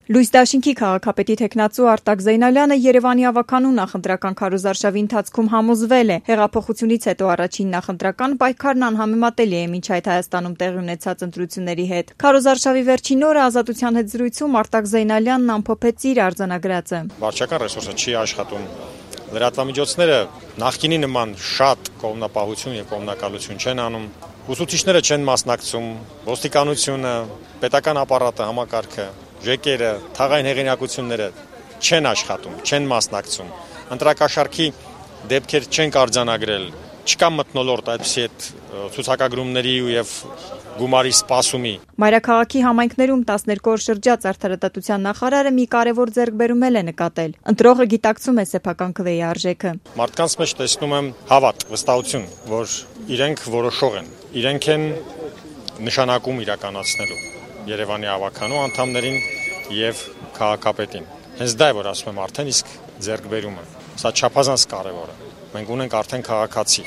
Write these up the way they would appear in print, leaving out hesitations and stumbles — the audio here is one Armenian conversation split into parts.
Լույս դաշինքի քաղաքապետի թեկնածու Արտակ Զեյնալյանը Երևանի ավականու նախընտրական քարոզարշավի ընթացքում համոզվել է, հեղափոխությունից հետո առաջին նախընտրական պայքարն անհամեմատելի է մինչ այդ Հայաստանում տեղի ունեցած ընտրությունների հետ։ Քարոզարշավի վերջին օրը Ազատության հետ զրույցում Արտակ Զեյնալյանն ամփոփեց իր արձանագրածը։ Վարչական ռեսուրսը չի աշխատում։ Լրատվամիջոցները նախկինի նման շատ կողմնապահություն եւ կողմնակալություն չեն անում։ Ուսուցիչները չեն մասնակցում, ոստիկանությունը, պետական ապարատը, համակարգը, ժեկերը, թաղային հեղինակությունները չեն աշխատում, չեն մասնակցում։ Ընտրակաշարքի դեպքեր չեն արձանագրել, չկա մթնոլորտ այդպիսի այդ ցուցակագրումների եւ գումարի սպասումի։ Մայրաքաղաքի համայնքներում 12 օր շրջած արդարադատության նախարարը մի կարևոր ձեռքբերում է նկատել։ Ընտրողը գիտակցում է սեփական քվեի արժեքը։ Մարդկանց մեջ տեսնում եմ հավատ, վստահություն, որ իրենք որոշող են, իրենք են նշանակում իրականացնելու Երևանի ավականու անդամներին եւ քաղաքապետին։ Հենց դա է, որ ասում եմ արդեն իսկ ձեռքբերումը։ Սա չափազանց կարևոր է։ Մենք ունենք արդեն քաղաքացի։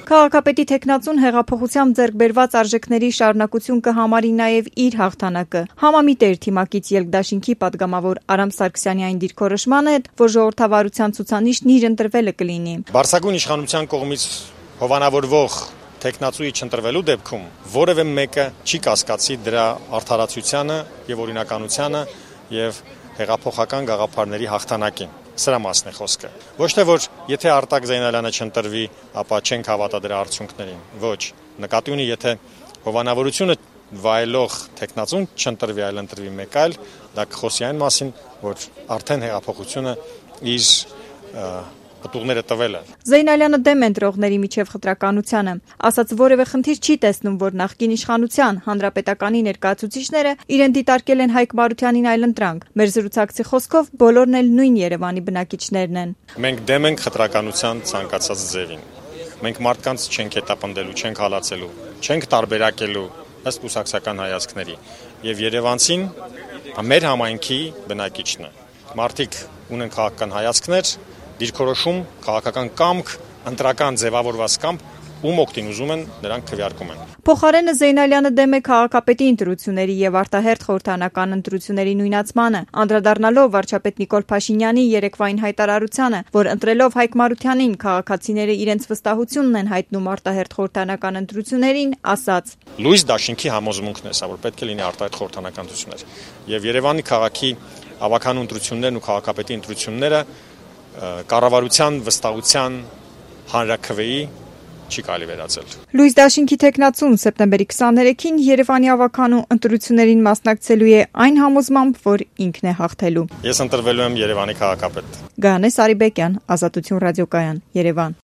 Քաղաքապետի թեկնածուն հեղափոխությամբ ձեռքբերված արժեքների շարունակություն կհամարի նաև իր հաղթանակը։ Համամիտ էր թիմակից ելքդաշինքի падգամավոր Արամ Սարգսյանի այն դիրքորոշմանը, որ ժողովրդավարության ցուցանիշն իր ընտրվելը կլինի։ Բարձրագույն իշխանության կողմից հովանավորվող թեկնածուի չընտրվելու դեպքում որևէ մեկը չի կասկածի դրա արդարացությանը եւ օրինականությանը եւ հեղափոխական գաղափարների հաղթանակին։ Սրա մասն է խոսքը։ Ոչ թե որ եթե Արտակ Զեյնալյանը չընտրվի, ապա չենք հավատա դրա արդյունքներին։ Ոչ, նկատի ունի, եթե հովանավորությունը վայելող թեկնածուն չընտրվի, այլ ընտրվի մեկ այլ, դա կխոսի այն մասին, որ արդեն հեղափոխությունը իր պտուղները տվել է։ Զեյնալյանը դեմ ընտրողների միջև խտրականությանը, ասաց որևէ խնդիր չի տեսնում, որ նախկին իշխանության հանրապետականի ներկայացուցիչները իրեն դիտարկել են Հայկ Մարությանին այլընտրանք։ Մեր զրուցակցի խոսքով բոլորն էլ նույն Երևանի բնակիչներն են։ Մենք դեմ ենք խտրականության ցանկացած ձևին։ Մենք մարդկանց չենք հետապնդելու, չենք հալածելու, չենք տարբերակելու ըստ կուսակցական հայացքների։ Եվ երևանցին մեր համայնքի բնակիչն է։ Մարդիկ ունեն քաղաքական հայացքներ, դիրքորոշում, քաղաքական կամք, ընտրական ձևավորված կամք, ում օգտին ուզում են, նրանք քվեարկում են։ Փոխարենը Զեյնալյանը դեմ է քաղաքապետի ընտրությունների եւ արտահերթ խորհրդանական ընտրությունների նույնացմանը, անդրադառնալով վարչապետ Նիկոլ Փաշինյանի երեկվային հայտարարությանը, որ ընտրելով Հայկ Մարությանին քաղաքացիները իրենց վստահությունն են հայտնում արտահերթ խորհրդանական ընտրություններին, ասաց. Լույս դաշինքի համոզմունքն է սա, որ պետք է լինի արտահերթ խորհրդանական ընտրություններ։ Եվ Երևանի քաղաքի ավականու ընտրություններն ու քաղաքապետի ընտրությունները կառավարության վստահության հանրաքվեի չի կարելի վերածել։ Լույս դաշինքի թեկնածուն սեպտեմբերի 23-ին Երևանի ավականու ընտրություններին մասնակցելու է այն համոզմամբ, որ ինքն է հաղթելու։ Ես ընտրվելու եմ Երևանի քաղաքապետ։ Գայանե Սարիբեկյան, Ազատություն ռադիոկայան, Երևան։